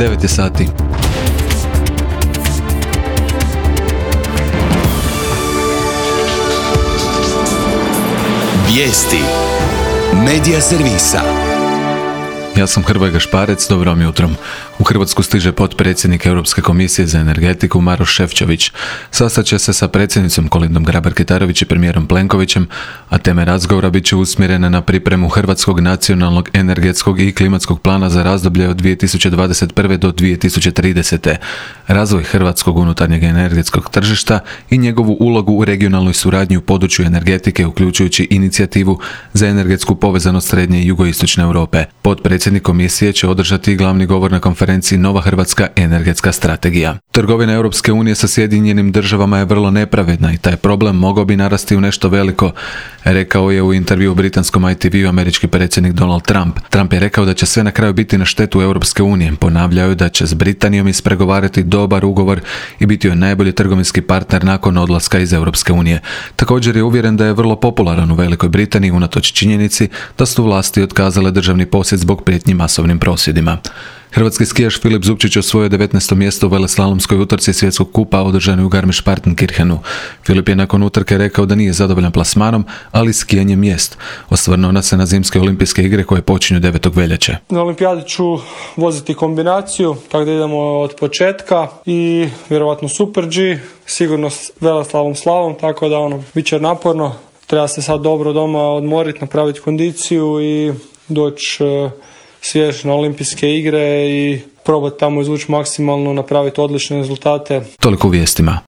9 je sati. Vijesti Medija servisa. Ja sam Hrvoje Gašparec, dobrom jutrom. U Hrvatsku stiže potpredsjednik Europske komisije za energetiku Maroš Šefčović. Sastat će se sa predsjednicom Kolindom Grabar-Kitarović i premijerom Plenkovićem, a teme razgovora bit će usmjerene na pripremu Hrvatskog nacionalnog energetskog i klimatskog plana za razdoblje od 2021. do 2030. Razvoj hrvatskog unutarnjeg energetskog tržišta i njegovu ulogu u regionalnoj suradnji u području energetike, uključujući inicijativu za energetsku povezanost srednje i jugoistočne Europe. Potpredsjednik komisije će održati glavni govor na konferenciji Nova Hrvatska energetska strategija. Trgovina Europske unije sa Sjedinjenim državama je vrlo nepravedna i taj problem mogao bi narasti u nešto veliko, rekao je u intervjuu britanskom ITV-u američki predsjednik Donald Trump. Trump je rekao da će sve na kraju biti na štetu Europske unije. Ponavljaju da će s Britanijom ispregovarati dobar ugovor i biti joj najbolji trgovinski partner nakon odlaska iz Europske unije. Također je uvjeren da je vrlo popularan u Velikoj Britaniji unatoč činjenici da su vlasti otkazale državni posjet zbog prijetnji masovnim prosvjedima. Hrvatski skijaš Filip Zubčić osvojio 19. mjesto u veleslalomskoj utrci svjetskog kupa održanoj u Garmisch-Partenkirchenu. Filip je nakon utrke rekao da nije zadovoljan plasmanom, ali skijanjem jest. Osvrnuo se na zimske olimpijske igre koje počinju 9. veljače. Na olimpijadi ću voziti kombinaciju, tako da idemo od početka i vjerovatno Super G, sigurno veleslalom slalom, tako da bit će naporno. Treba se sad dobro doma odmoriti, napraviti kondiciju i doći svjež na olimpijske igre i probati tamo izvući maksimalno, napraviti odlične rezultate. Toliko u vijestima.